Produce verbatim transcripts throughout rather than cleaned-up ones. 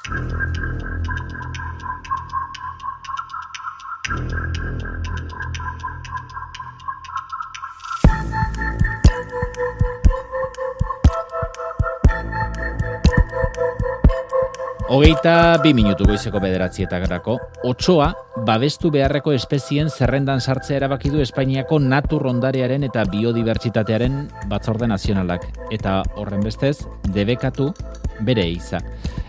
Hogeita bi minutu goizeko bederatzietarako, otsoa babestu beharreko espezien zerrendan sartzea erabaki du Espainiako natur ondarearen eta biodibertsitatearen batzorde nazionalak, eta horren bestez debekatu bere eiza.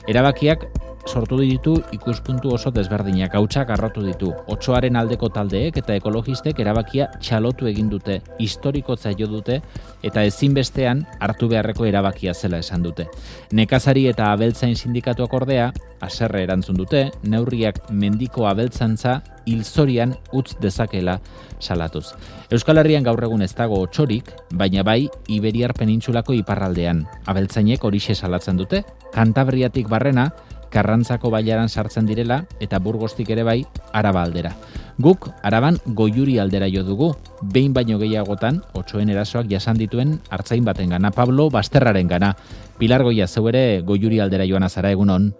Erabakiak sortu ditu ikuspuntu oso desberdinak, hautsak arrotu ditu. Otsoaren aldeko taldeek eta ekologistek erabakia txalotu egin dute, historikotza jo dute eta ezinbestean hartu beharreko erabakia zela esan dute. Nekazari eta abeltzain sindikatuak ordea, haserre erantzun dute, neurriak mendiko abeltzantza hilzorian utz dezakela salatuz. Euskal Herrian gaur egun ez dago otsorik, baina bai Iberiar penintsulako iparraldean. Abeltzainek horixe salatzen dute, Kantabriatik barrena, Karrantzako bailaran sartzen direla eta Burgostik ere bai Araba aldera. Guk Araban Goiuri aldera jo dugu, behin baino gehiagotan otsoen erasoak jasan dituen artzain baten gana, Pablo Basterraren gana. Pilar Goia, zeu ere Goiuri aldera joan azara, egunon?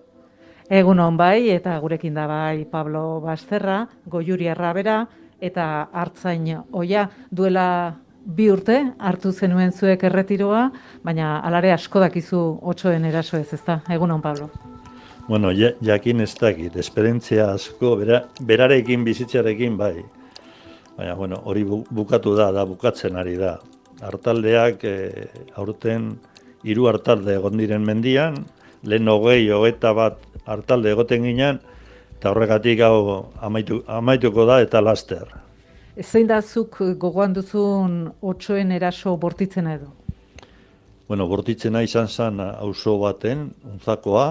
Egunon bai, eta gurekin da bai Pablo Basterra, Goiuri arrabera eta artzain oia duela bi urte hartu zenuen zuek erretiroa, baina alare asko dakizu otsoen eraso ez, ezta? Egunon, Pablo. Bueno, ja, jakin ez dakit, esperientzia asko, bera, berarekin bizitzarekin bai. Baina, bueno, hori bukatu da, da bukatzen ari da. Artaldeak e, aurten hiru artalde egon diren mendian, lehen hogei, hogeita bat artalde egoten ginen, eta horregatik hau amaitu, amaituko da eta laster. Zein da zuk gogoan duzun otsoen eraso bortitzena edo? Bueno, bortitzena izan zen auzo baten, Unzakoa,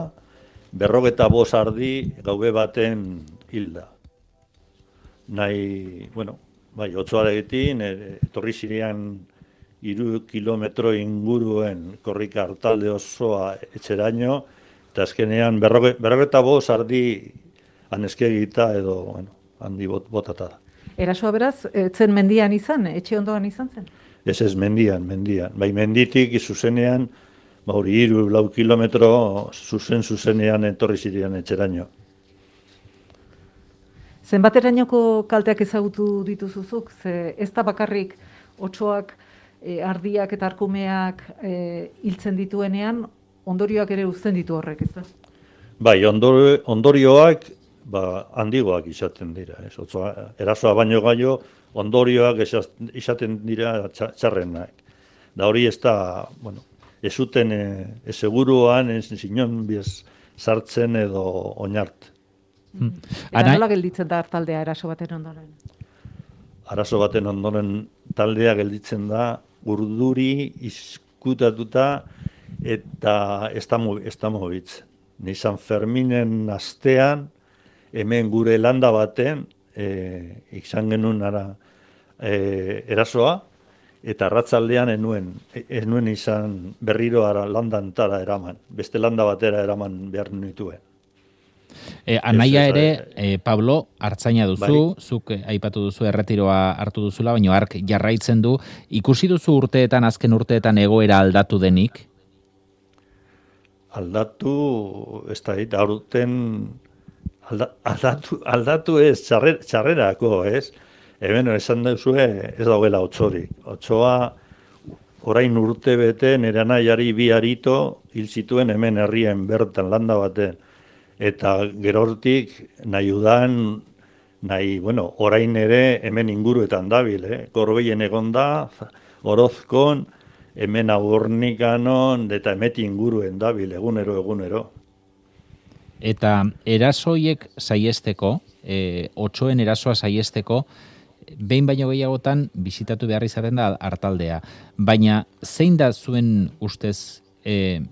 berrogeta bost ardi gaube baten hilda. Nahi, bueno, bai, otsoarekin, etorri zirean hiru kilometro inguruen korrika artalde osoa etxeraino, eta azkenean berroge, berrogeta bost ardi aneskegita edo, bueno, handi bot, botata da. Erasoa beraz, zen mendian izan, etxe ondoan izan zen? Ez ez, mendian, mendian. Bai, menditik zuzenean, ba hori hiru lau kilometro zuzen zuzenean etorri zirean etxeraino. Zenbaterainoko kalteak ezagutu dituzuzuk? Ze ez da bakarrik otsoak, e, ardiak eta arkumeak e, hiltzen dituenean, ondorioak ere uzten ditu horrek, ez da? Bai, ondor, ondorioak ba, handigoak izaten dira. Ez? Otsoa, erasoa baino gaio, ondorioak izaten dira txarrenak. Da hori ez da, bueno, ez zuten e, seguruan, ez zinon bez sartzen edo oinart. Hmm. Eta nola gelditzen da taldea eraso baten ondoren? Arazo baten ondoren taldea gelditzen da urduri izkutatuta eta ez da mobitzen. Ni San Ferminen astean, hemen gure landa baten, e, izan genuen ara, e, erasoa, eta arratzaldean enuen, enuen izan berriro ara landantara eraman, beste landa batera eraman behar nituen. E, anaia ere, e, Pablo, artzaina duzu, bai. Zuk aipatu duzu erretiroa hartu duzula, baina hark jarraitzen du. Ikusi duzu urteetan, azken urteetan egoera aldatu denik? Aldatu, ez da, eta aurten alda, aldatu, aldatu ez, txarrer, txarrerako, ez? Hemen esan duzue ez dagoela otsorik. Otsoa orain urte bete nire anaiari bi arito hil zituen hemen herrien bertan landa baten. Eta gerortik nahi udan, nahi, bueno, orain ere hemen inguruetan dabil, eh? Gorbeien egon da, Orozkon, hemen Agurnikanon, eta emeti inguruen dabil, egunero, egunero. Eta erasoiek saiesteko, e, otsoen erasoa saiesteko, behin baino gehiagotan bisitatu behar izaten da artaldea. Baina zein da zuen ustez e,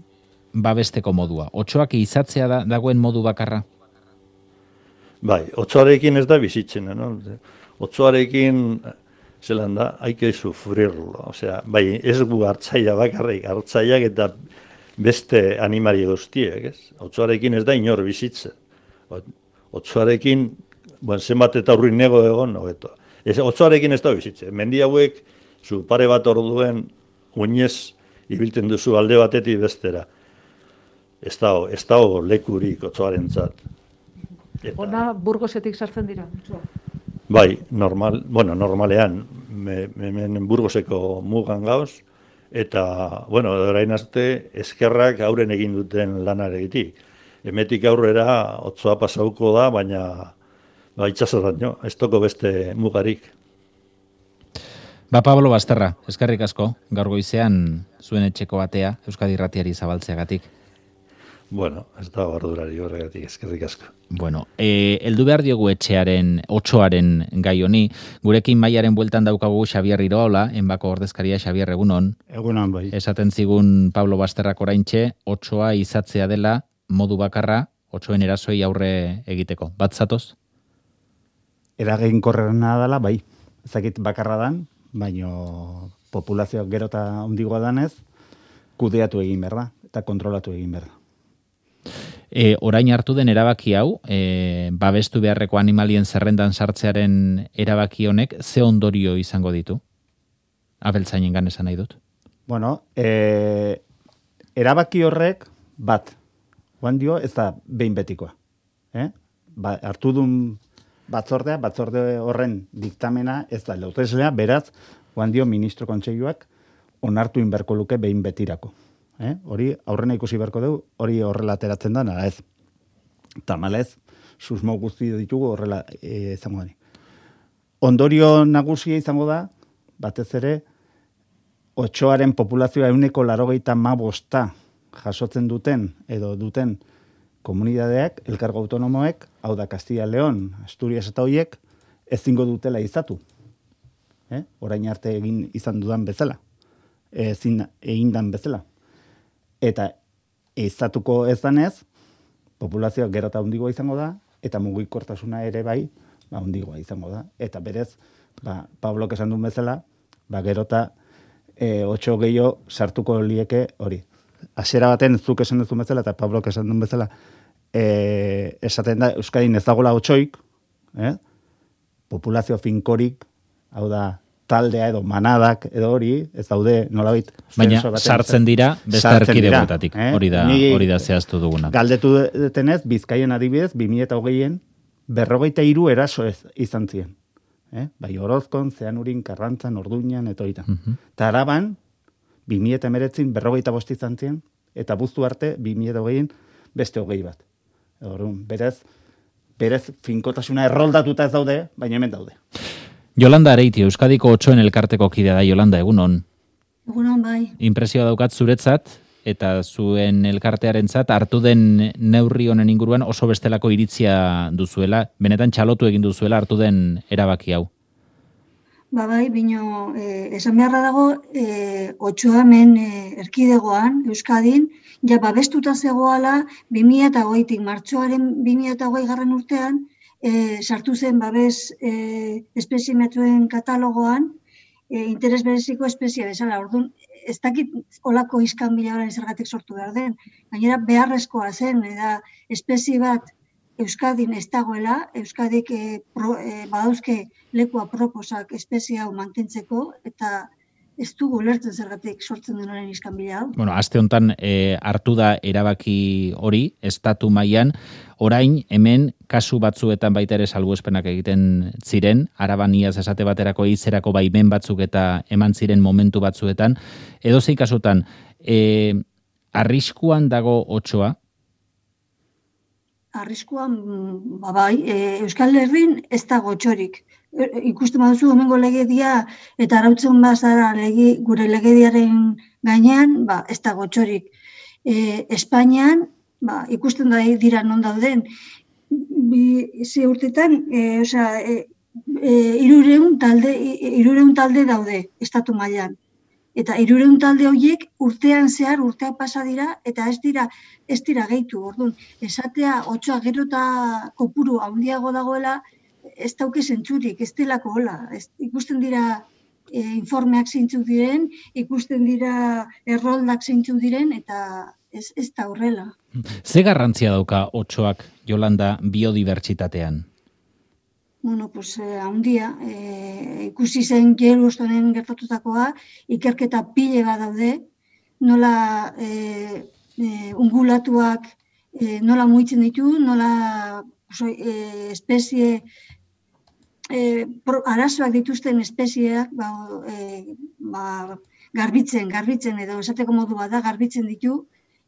babesteko modua? Otsoak izatzea da, dagoen modu bakarra? Bai, otsoarekin ez da bizitzen, no? Otsoarekin, zelan da, haike sufrirlo. Osea, bai, ez gu hartzaia bakarrik, hartzaiak eta beste animari guztiek, ez? Otsoarekin ez da inor bizitzen. Otsoarekin, bon, zenbat eta urrin nego egon, hobeto. Ez, otsoarekin ez da bizitzen. Mendi hauek, zu pare bat orduen, oinez ibiltzen duzu alde batetik bestera. ez dago, ez dago lekurik otsoarentzat. Eta, Ona Burgosetik sartzen dira. Otsoa. bai, normal, bueno, normalean, me, hemen Burgoseko mugan gauz, eta, bueno, orain arte, eskerrak auren egin duten lanaregitik. Hemetik aurrera otsoa pasauko da, baina ba, itxasoraino, ez toko beste mugarik. Ba, Pablo Basterra, eskerrik asko, gaur goizean zuen etxeko batea, Euskadi Irratiari zabaltzeagatik. Bueno, ez da ardurari horregatik, eskerrik asko. Bueno, e, heldu behar diogu etxearen, otsoaren gai honi, gurekin Maiaren bueltan daukagu Xabier Iroaola, enbako ordezkaria. Xabier, egunon. Egunon, bai. Esaten zigun Pablo Basterrak oraintxe, otsoa izatzea dela modu bakarra, otsoen erasoi aurre egiteko. Bat zatoz? Eraginkorrena dela, bai. Ezakit bakarra dan, baino populazioak gero eta handigoa danez, kudeatu egin behar da, eta kontrolatu egin behar da. E, orain hartu den erabaki hau, e, babestu beharreko animalien zerrendan sartzearen erabaki honek, ze ondorio izango ditu? Abeltzainengan esan nahi dut. Bueno, e, erabaki horrek bat, guan dio, ez da behin betikoa. Eh? Ba, hartu duen batzordea, batzorde horren diktamena ez da lauteslea, beraz, guan dio ministro kontseiluak onartu inberko luke behin betirako. Eh? Hori aurrena ikusi beharko dugu, hori horrela ateratzen da, nara ez. Tamalez, susmo guzti ditugu horrela e, izango da. Ondorio nagusia izango da, batez ere, otsoaren populazioa euneko larogeita mabosta jasotzen duten, edo duten komunidadeak, elkargo autonomoek, hau da Castilla León, Asturias eta hoiek, ezingo dutela izatu. Eh? Orain arte egin izan dudan bezala. Ezin egin dan bezala. Eta izatuko ez danez, populazioa gero eta handigoa izango da, eta mugikortasuna ere bai, ba, handigoa izango da. Eta berez, ba, Pablok esan duen bezala, ba, gero eta e, otso gehiago sartuko lieke hori. Hasiera baten zuk esan duzu bezala, eta Pablok esan duen bezala, e, esaten da, Euskadin ez dagoela otsoik, eh? Populazio finkorik, hau da, taldea edo manadak edo hori, ez daude nolabait. Baina sartzen dira beste erkidegoetatik, eh? hori da, hori da zehaztu duguna. Galdetu detenez, Bizkaien adibidez, bi mila hogeien, berrogeita hiru eraso ez, izan ziren. Eh? Bai Orozkon, Zeanurin, Karrantzan, Orduñan, eta hori da. Uh-huh. Ta Araban, bi mila hemeretzin berrogeita bost izan ziren, eta buztu arte, bi mila hogeien, beste hogei bat. Orduan, berez, berez finkotasuna erroldatuta ez daude, baina hemen daude. Yolanda Areiti, Euskadiko otsoen elkarteko kidea da. Yolanda, egunon. Egunon, bai. Impresioa daukat zuretzat, eta zuen elkartearentzat hartu den neurri honen inguruan oso bestelako iritzia duzuela, benetan txalotu egin duzuela hartu den erabaki hau. Ba bai, bino, eh, esan beharra dago, eh, otsoa hemen eh, erkidegoan, Euskadin, ja babestuta zegoala, bi mila hogeitik, martxoaren bi mila hogei garren urtean, E, sartu zen babes e, espezimetruen katalogoan e, interes bereziko espezia bezala. Orduan, ez dakit olako iskanbila orain zergatik sortu behar den. Gainera beharrezkoa zen, eta espezie bat Euskadin ez dagoela, Euskadik e, pro, e, badauzke lekua proposak espezie hau mantentzeko, eta ez dugu lertzen zergatik sortzen den orain iskanbila hau. Bueno, aste honetan e, hartu da erabaki hori, estatu mailan, orain hemen kasu batzuetan baita ere salbuespenak egiten ziren, Arabaniaz esate baterako izerako baimen batzuk eta eman ziren momentu batzuetan, edozein kasutan, e, arriskuan dago otsoa? Arriskuan, ba bai, e, Euskal Herrin ez dago otsorik. Ikusten baduzu hemengo legedia eta arautzen bazara lege, gure legediaren gainean, ba, ez dago otsorik. E, Espainian, ba, ikusten da dira non dauden, bi ze urtetan, e, osea, e, e, hirurehun talde, hirurehun talde daude estatu mailan. Eta hirurehun talde horiek urtean zehar urteak pasa dira eta ez dira ez dira gehitu. Orduan, esatea otsoa gero eta kopuru handiago dagoela, ez dauke zentzurik, ez delako hola. Ez, ikusten dira e, informeak zeintzuk diren, ikusten dira erroldak zeintzuk diren, eta ez, ez da horrela. Ze garrantzia dauka otsoak, Yolanda, biodibertsitatean? Bueno, pues, eh, handia, eh, ikusi zen Yellowstoneen gertatutakoa, ikerketa pile bat daude, nola eh, e, ungulatuak e, nola mugitzen ditu, nola oso, e, espezie, e, pro, arazoak dituzten espezieak ba, e, ba, garbitzen, garbitzen, edo esateko modua da, garbitzen ditu,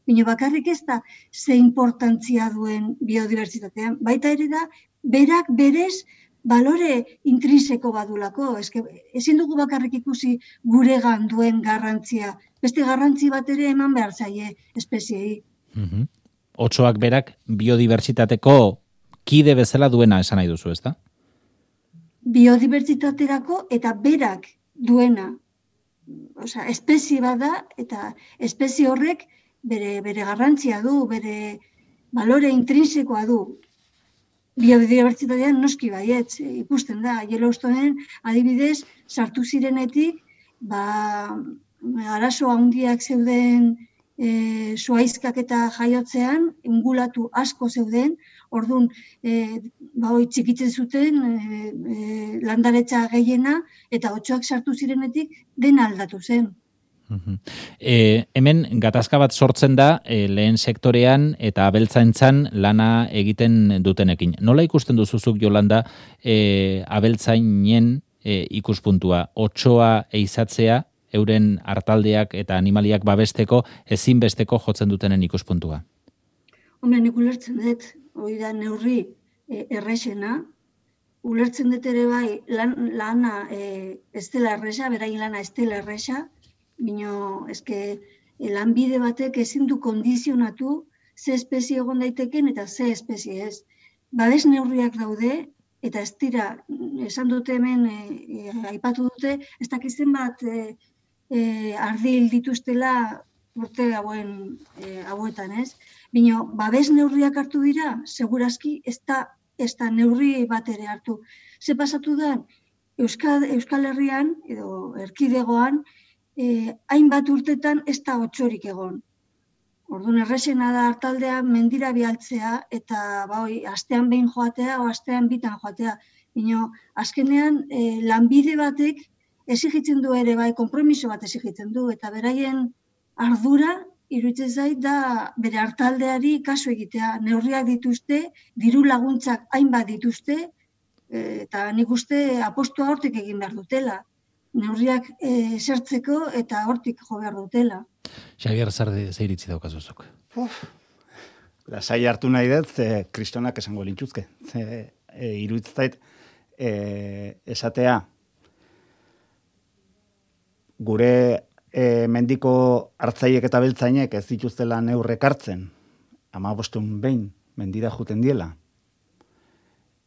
baina bakarrik ez da ze importantzia duen biodibertsitatean. Baita ere da, berak berez balore intrinseko badulako. Eske, ezin dugu bakarrik ikusi guregan duen garrantzia. Beste garrantzi bat ere eman behar zaie espeziei. Mm-hmm. Otsoak berak biodibertsitateko kide bezala duena esan nahi duzu, ezta? Biodibertsitaterako eta berak duena. Osea, espezie bada eta espezie horrek bere, bere garrantzia du, bere balore intrinsekoa du. Biodibertsitatean noski baietz, ikusten da, Yellowstoneen adibidez sartu zirenetik, ba, arazo handiak zeuden e, zuaizkak eta jaiotzean, ungulatu asko zeuden, orduan, e, ba, hoi txikitzen zuten e, e, landaretza gehiena, eta otsoak sartu zirenetik dena aldatu zen. E, hemen gatazka bat sortzen da e, lehen sektorean eta abeltzaintzan lana egiten dutenekin. Nola ikusten duzuzuk, Jolanda, e, abeltzainen e, ikuspuntua? Otsoa eizatzea, euren artaldeak eta animaliak babesteko ezinbesteko jotzen dutenen ikuspuntua? Hombre, nik ulertzen dut, hori da neurri e, errexena, ulertzen dut ere bai lan, lana e, ez dela erresa, beraien lana ez dela erresa, bino, eske, lanbide batek ezin du kondizionatu ze espezie egon daiteken eta ze espezie ez. Babes neurriak daude, eta ez dira, esan dute hemen, e, e, aipatu dute, ez dakizen bat e, e, ardil dituztela urte hauen, e, hauetan, ez? Bino, babes neurriak hartu dira, segurazki ez da, ez da neurri bat ere hartu. Ze pasatu da, Euskal, Euskal Herrian, edo erkidegoan, Eh, hainbat urtetan ez da otsorik egon. Orduan errexena da hartaldea mendira bialtzea eta ba, oi, astean behin joatea o astean bitan joatea. Bino, azkenean eh, lanbide batek exigitzen du ere bai, konpromiso bat exigitzen du eta beraien ardura iruditzen zait da bere hartaldeari kasu egitea. Neurriak dituzte, diru laguntzak hainbat dituzte eh, eta nik uste apostua hortik egin behar dutela. Neurriak e, zertzeko eta hortik jo behar dutela. Xabier, zarde zeiritzi daukazuzuk? Lasai hartu nahi dut, ze kristonak esango lintuzke. Ze e, iruditzait e, esatea gure e, mendiko hartzaiek eta beltzainek ez dituztela neurrek hartzen, hamabostun behin mendira juten diela,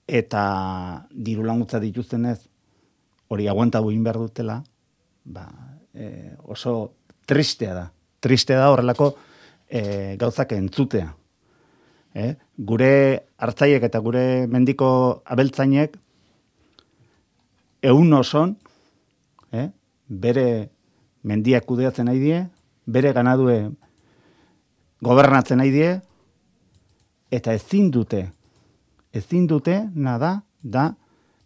eta diru laguntza dituztenez hori aguantatu egin behar dutela, ba, e, oso tristea da. Tristea da horrelako e, gauzak entzutea. E, gure hartzaiek eta gure mendiko abeltzainek ehun oson, e, bere mendiak kudeatzen nahi die, bere ganadue gobernatzen nahi die, eta ezin dute, ezin dute, nada, da,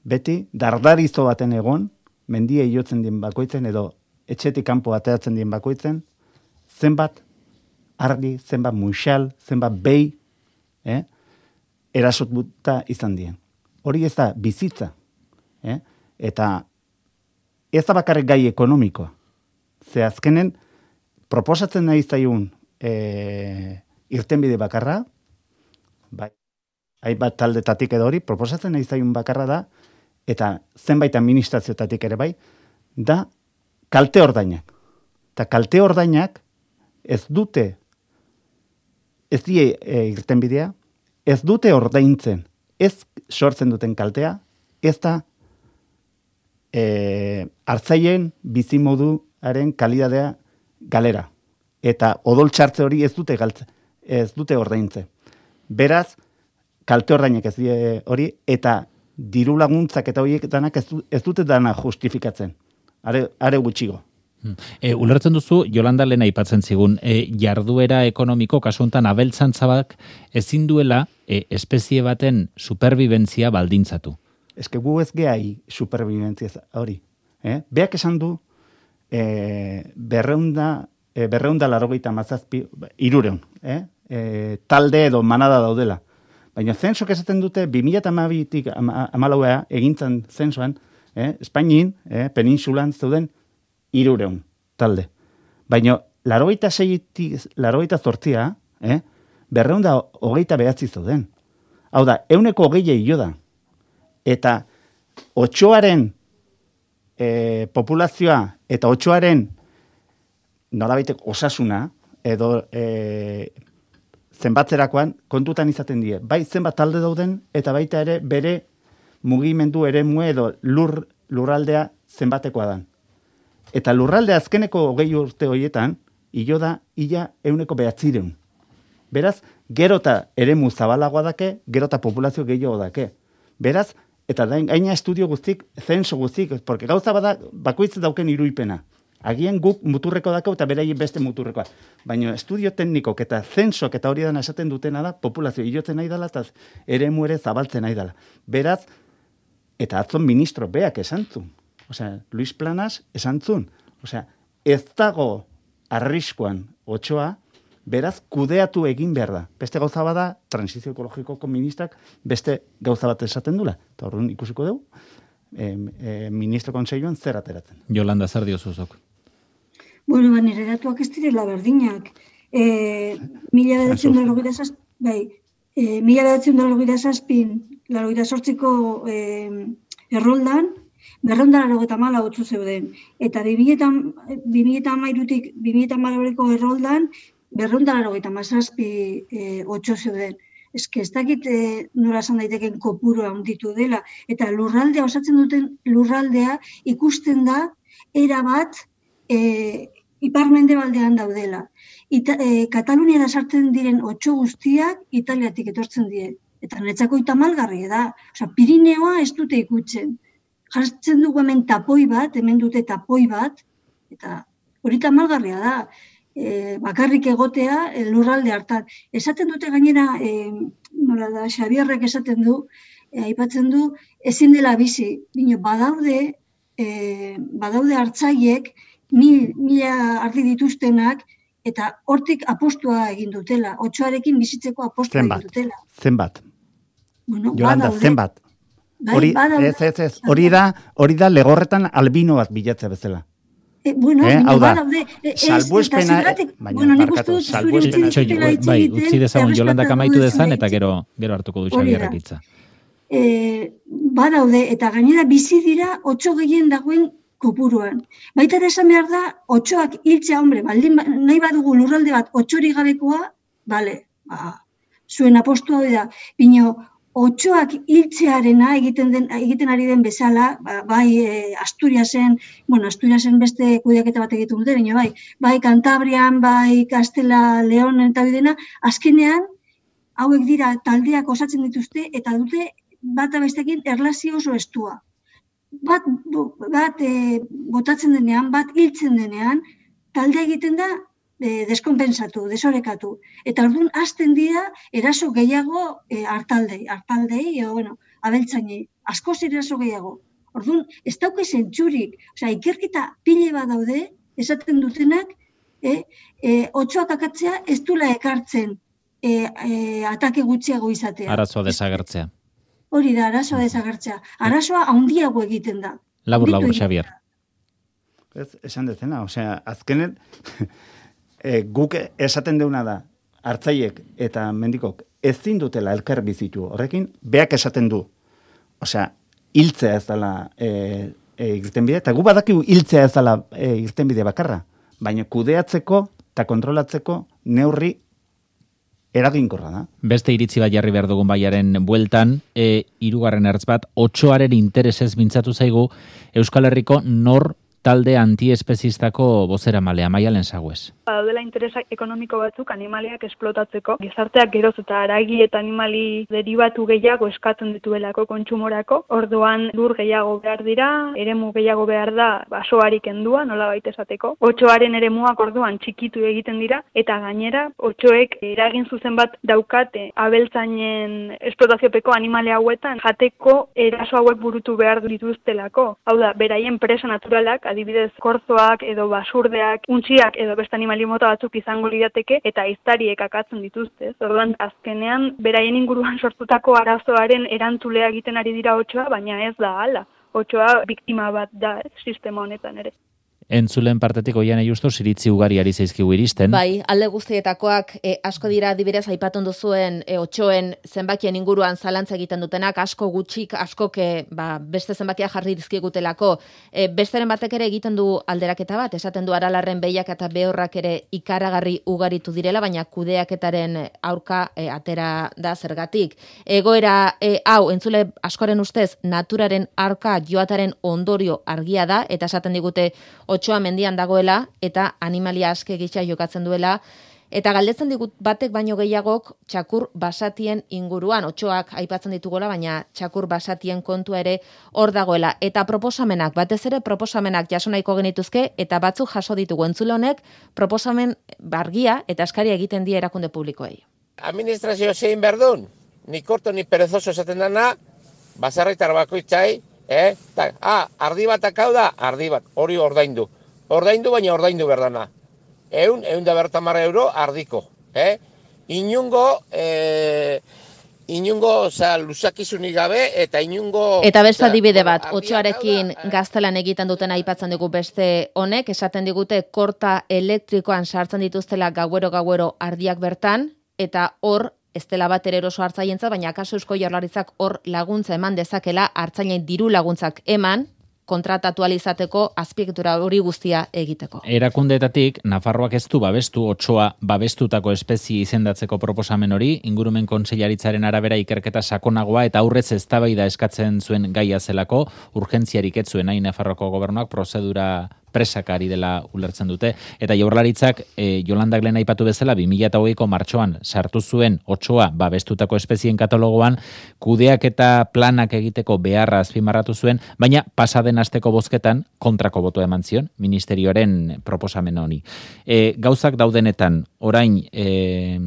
beti dardarizo baten egon, mendia iotzen dien bakoitzen, edo etxetik kanpo ateratzen dien bakoitzen, zenbat argi, zenbat muixal, zenbat behi, eh, erasot buta izan dien. Hori ez da bizitza. Eh? Eta ez da bakarrik gai ekonomikoa. Ze azkenen, proposatzen nahi zaiun eh, irtenbide bakarra, bai, hainbat taldetatik edo hori, proposatzen nahi zaiun bakarra da, eta zenbait administrazioetatik ere bai, da kalte ordainak. Eta kalte ordainak ez dute, ez die e, irtenbidea, ez dute ordaintzen, ez sortzen duten kaltea, ez da e, hartzaien bizimoduaren kalidadea galera. Eta odol txartze hori ez dute galtze, ez dute ordaintze. Beraz, kalte ordainak ez die hori, eta diru laguntzak eta horiek danak ez, du, ez dute dana justifikatzen. Are, are gutxigo. E, ulertzen duzu, Jolanda lehen aipatzen zigun, e, jarduera ekonomiko, kasu honetan abeltzantzabak ezin duela e, espezie baten superbibentzia baldintzatu. Ez que gu ez gehi superbibentzia hori. Eh? Beak esan du, e, berreunda e, berreunda larogeita mazazpi, irureun, eh? E, talde edo manada daudela. Baina zensok esaten dute, bi mila hamabitik hamalauea egintzen zensoan, eh? Espainin, eh? Peninsulan zeuden irureun talde. Baina larogeita seitik, larogeita zortzia, eh? berreunda hogeita behatzi zeuden. Hau da, euneko hogei jo da. Eta otxoaren e, populazioa eta otxoaren norabaitek osasuna edo e, zenbatzerakoan kontutan izaten die. Bai zenbat talde dauden eta baita ere bere mugimendu eremue edo lur, lurraldea zenbatekoa dan. Eta lurraldea azkeneko hogei urte horietan hilo da ia euneko behatzireun. Beraz, gerota eremu zabalagoa dake, gerota populazio gehiago dake. Beraz, eta gaina estudio guztik, zenso guztik, porque gauza bada bakoitz dauken iruipena. Agian guk muturreko dako eta beraien beste muturrekoa. Baina estudio teknikok eta zensok eta hori dana esaten dutena da, populazio hilotzen nahi dela eta eremu ere zabaltzen nahi dela. Beraz, eta atzon ministro beak esantzun. Osea, Luis Planas esantzun. Osea, ez dago arriskuan otxoa, beraz, kudeatu egin behar da. Beste gauza bada, transizio ekologikoko ministrak beste gauza bat esaten dula. Eta horren ikusiko dugu, e, e, ministro kontseiluan zer ateratzen. Jolanda, zer diozuzok? Bueno, ba, nire datuak ez direla berdinak. E, mila bedatzen da logira zazpin, bai, e, mila bedatzen da logira zazpin, logira sortziko e, erroldan, berrondara logeta mala otzu zeuden. Eta bi mila hamairutik bi mila hamalaureko erroldan, berrondara logeta mazazpi e, otxo zeuden. Ez que ez dakit e, nola esan daiteken kopurua handitu dela. Eta lurraldea, osatzen duten lurraldea ikusten da, erabat e, ipar-mendebaldean daudela. Ita, e, Kataluniara sartzen diren otxo guztiak Italiatik etortzen die. Eta netzako itamalgarri da. Osa, Pirineoa ez dute ikutzen. Jartzen dugu hemen tapoi bat, hemen dute tapoi bat, eta hori tamalgarria da. E, bakarrik egotea e, lurralde hartan. Esaten dute gainera, e, nola da, Xabierrek esaten du, e, aipatzen du, ezin dela bizi. Bino, badaude, e, badaude hartzaiek, mil, mila ardi dituztenak, eta hortik apostua egin dutela. Otxoarekin bizitzeko apostua egin dutela. Zenbat. Bueno, Jolanda, badaude. zenbat. Bai, Hori, badaude. ez, ez, ez. Hori da, hori da legorretan albino bat bilatzea bezala. E, bueno, Eh, hau bino, da, badaude. E, ez, salbuespena- eta zergatik- baina, bueno, nik barkatu, uste dut zure salbuespena- hitz egitela hitz Bai, egiten, utzi dezagun Jolandak errespetatu amaitu dezan duzula eta hitz. gero gero hartuko du Hori da. Xabierrek hitza. E, badaude, eta gainera bizi dira otxo gehien dagoen kopuruan. Baita ere esan behar da, otxoak hiltzea, hombre, baldin ba- nahi badugu lurralde bat otxori gabekoa, bale, ba, zuen apostua hori da. Bino, otxoak hiltzearena egiten den egiten ari den bezala, ba, bai e, Asturiasen, bueno, Asturiasen beste kudeaketa bat egiten dute, baina bai, bai Kantabrian, bai Kastela, Leon eta bidena, azkenean hauek dira taldeak osatzen dituzte eta dute bata bestekin erlazio oso estua. Bat, bo- bat e, botatzen denean, bat hiltzen denean, talde egiten da e, deskonpensatu, desorekatu. Eta orduan hasten dira eraso gehiago e, hartaldei, hartaldei, edo, bueno, abeltzainei, askoz eraso gehiago. Orduan, ez dauke zentzurik, osea, ikerketa pile bat daude, esaten dutenak, e, e, otxoak akatzea ez dula ekartzen e, e, atake gutxiago izatea. Arazoa desagertzea. Hori da, arazoa desagertzea. Arazoa handiago egiten da. Labur, Handitu labur, egiten Xabier. da. Ez, esan dezena, osea, azkenen e, guk esaten deuna da, hartzaiek eta mendikok ezin dutela elkar bizitu. Horrekin, beak esaten du. Osea, hiltzea ez dela e, e, irtenbide, eta gu badakigu hiltzea ez dela e, irtenbide bakarra, baina kudeatzeko eta kontrolatzeko neurri eraginkorra da. Beste iritzi bat jarri behar dugun baiaren bueltan, e, hirugarren ertz bat, otxoaren interesez mintzatu zaigu Euskal Herriko nor talde antiespezistako bozera malea, Maialen Sagues. Badaudela interesak ekonomiko batzuk animaliak esplotatzeko. Gizarteak geroz eta haragi eta animali deribatu gehiago eskatzen dituelako kontsumorako. Orduan lur gehiago behar dira, eremu gehiago behar da basoari kendua, nolabait esateko. Otxoaren eremuak orduan txikitu egiten dira eta gainera otxoek eragin zuzen bat daukate abeltzainen esplotaziopeko animale hauetan jateko eraso hauek burutu behar dituztelako. Hau da, beraien presa naturalak adibidez korzoak edo basurdeak, untxiak edo beste animali mota batzuk izango lirateke eta ehiztariek akatzen dituzte. Orduan azkenean beraien inguruan sortutako arazoaren erantzulea egiten ari dira otsoa, baina ez da hala. Otsoa biktima bat da sistema honetan ere. Entzulen partetik Oiane Justos iritzi ugari ari zaizkigu iristen. Bai, alde guztietakoak e, asko dira adibidez aipatun duzuen e, otsoen zenbakien inguruan zalantza egiten dutenak, asko gutxik, askok e, ba, beste zenbakia jarri dizkigutelako. E, besteren batek ere egiten du alderaketa bat, esaten du Aralarren behiak eta behorrak ere ikaragarri ugaritu direla, baina kudeaketaren aurka e, atera da zergatik. Egoera e, hau, entzule askoren ustez, naturaren aurka joataren ondorio argia da, eta esaten digute otsoa mendian dagoela eta animalia aske gisa jokatzen duela, eta galdetzen digut batek baino gehiagok txakur basatien inguruan, otsoak aipatzen ditugola, baina txakur basatien kontua ere hor dagoela. Eta proposamenak, batez ere proposamenak jaso nahiko genituzke, eta batzuk jaso ditugu entzule honek, proposamen argia eta eskaria egiten die erakunde publikoei. Administrazio zein berdun, ni korto ni perezoso esaten dana, baserritar bakoitzai, Eh? Ta, ah, ardi batak hau da, ardi bat, hori ordaindu. Ordaindu, baina ordaindu berdana. Eun, eun da bertamar euro ardiko. Eh? Inungo, eh, inungo, oza, luzakizunik gabe, eta inungo... Eta beste adibide bat, otsoarekin gaztelan egiten duten aipatzen dugu beste honek, esaten digute korta elektrikoan sartzen dituztela gauero-gauero ardiak bertan, eta hor, ez dela bat ere eroso hartzaientzat, baina akaso Eusko Jaurlaritzak hor laguntza eman dezakela, hartzainen diru laguntzak eman, kontratatu alizateko azpiegitura hori guztia egiteko. Erakundeetatik, Nafarroak ez du babestu, otsoa babestutako espezie izendatzeko proposamen hori, ingurumen kontseilaritzaren arabera ikerketa sakonagoa eta aurrez eztabaida eskatzen zuen gaia zelako, urgentziarik ez zuen nahi Nafarroako gobernuak prozedura presakari dela ulertzen dute, eta Jaurlaritzak e, Jolandak lehen aipatu bezala bi mila hogeiko martxoan sartu zuen otsoa babestutako espezien katalogoan, kudeak eta planak egiteko beharra azpimarratu zuen, baina pasaden asteko bozketan kontrako botoa eman zion ministerioaren proposamen honi. E, gauzak daudenetan, orain, e,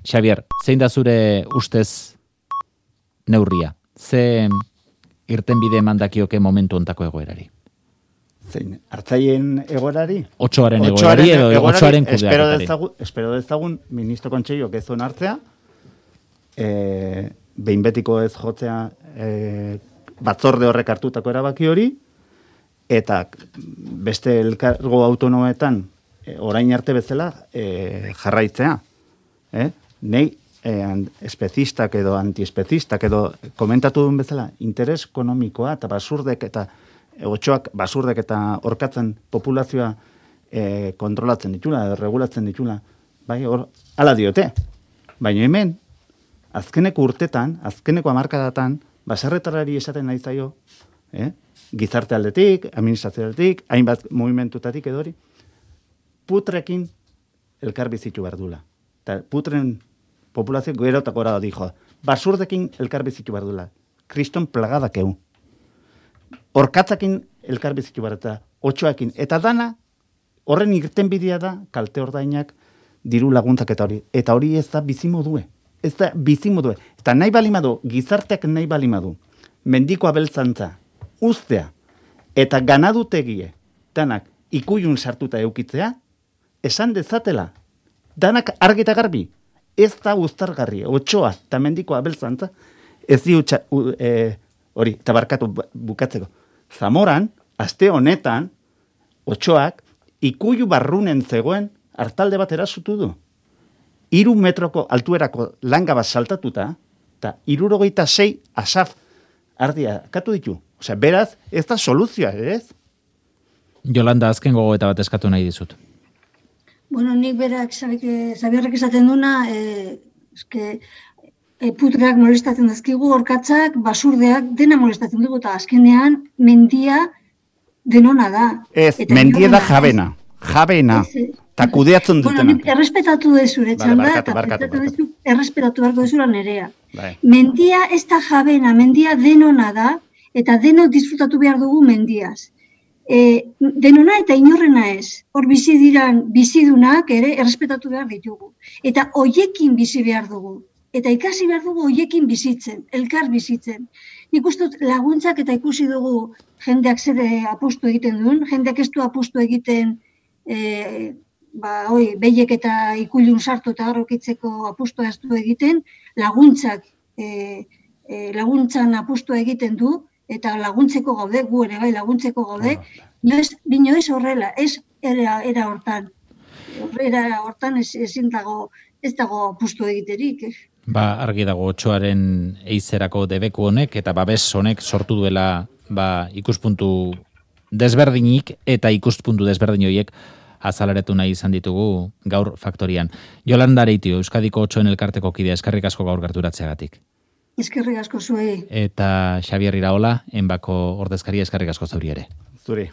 Xavier, zein da zure ustez neurria? Ze irtenbide mandakioke momentu ontako egoerari? Zein, hartzaien egoerari? Otsoaren egoerari edo otsoaren kudeaketari. Espero dezagun ministro kontseilok ez zuen hartzea, e, behin betiko ez jotzea e, batzorde horrek hartutako erabaki hori, eta beste elkargo autonometan e, orain arte bezala e, jarraitzea. E? Nei e, espezistak edo antiespezistak edo komentatu duen bezala, interes ekonomikoa eta basurdek eta otsoak basurdek eta orkatzen populazioa e, kontrolatzen ditula, regulatzen ditula, bai, hor, ala diote. Baina hemen, azkeneko urtetan, azkeneko hamarkadatan, baserritarrari esaten nahi zaio, eh? Gizarte aldetik, administrazio aldetik, hainbat movimentutatik edori, putrekin elkar bizitu behar dula. Eta putren populazio gerotak gora da dijo, basurdekin elkar bizitu behar dula. Kriston plagadak eu. Orkatzakin elkar bizitu behar eta otsoakin. Eta dana, horren irtenbidea da, kalte ordainak, diru laguntzak eta hori. Eta hori ez da bizimodue. Ez da bizimodue. Eta nahi balimadu, gizarteak nahi balimadu, mendiko abeltzantza, ustea, eta ganadutegie, danak ikuyun sartuta eukitzea, esan dezatela, danak argita garbi, ez da uztargarri, otsoa eta mendiko abeltzantza, ez di utxa, u, e, hori, tabarkatu bukatzeko. Zamoran, aste honetan, otsoak, ikuyu barrunen zegoen, hartalde bat erasutu du. Iru metroko altuerako langa bat saltatuta, eta irurogeita sei asaf ardia katu ditu. Osea, beraz, ez da soluzioa, ez? Jolanda, azken gogoeta bat eskatu nahi dizut. Bueno, nik berak, Zabierrek esaten duna, e, eske, e, putreak molestatzen dazkigu, orkatzak, basurdeak, dena molestatzen dugu, eta azkenean, mendia denona da. Ez, eta mendia da jabena, jabena, eta kudeatzen dutena. Bueno, errespetatu dezure, txanda, eta errespetatu beharko dezura nerea. Bai. Mendia ez da jabena, mendia denona da, eta denok disfrutatu behar dugu mendiaz. E, denona eta inorrena ez. Hor bizi diran bizidunak ere errespetatu behar ditugu. Eta hoiekin bizi behar dugu. eta ikasi behar dugu hoiekin bizitzen, elkar bizitzen. Nik uste dut laguntzak eta ikusi dugu jendeak zede apustu egiten duen, jendeak ez du apustu egiten e, ba, oi, behiek eta ikuilun sartu eta garrokitzeko apustu ez du egiten, laguntzak e, e, laguntzan apustu egiten du, eta laguntzeko gaude, gu ere bai laguntzeko gaude, inoiz, binoiz horrela, ez era, era hortan. Era hortan ez, ezin dago, ez dago apustu egiterik. Eh? Ba, argi dago otsoaren eizerako debeku honek eta babes honek sortu duela ba, ikuspuntu desberdinik eta ikuspuntu desberdin horiek azalaretu nahi izan ditugu gaur faktorian. Jolanda Areitio, Euskadiko otsoen elkarteko kidea, eskerrik asko gaur gerturatzeagatik. Eskerrik asko zuei. Eta Xabier Iraola, Enbako ordezkaria, eskerrik asko zauri ere. Zuri.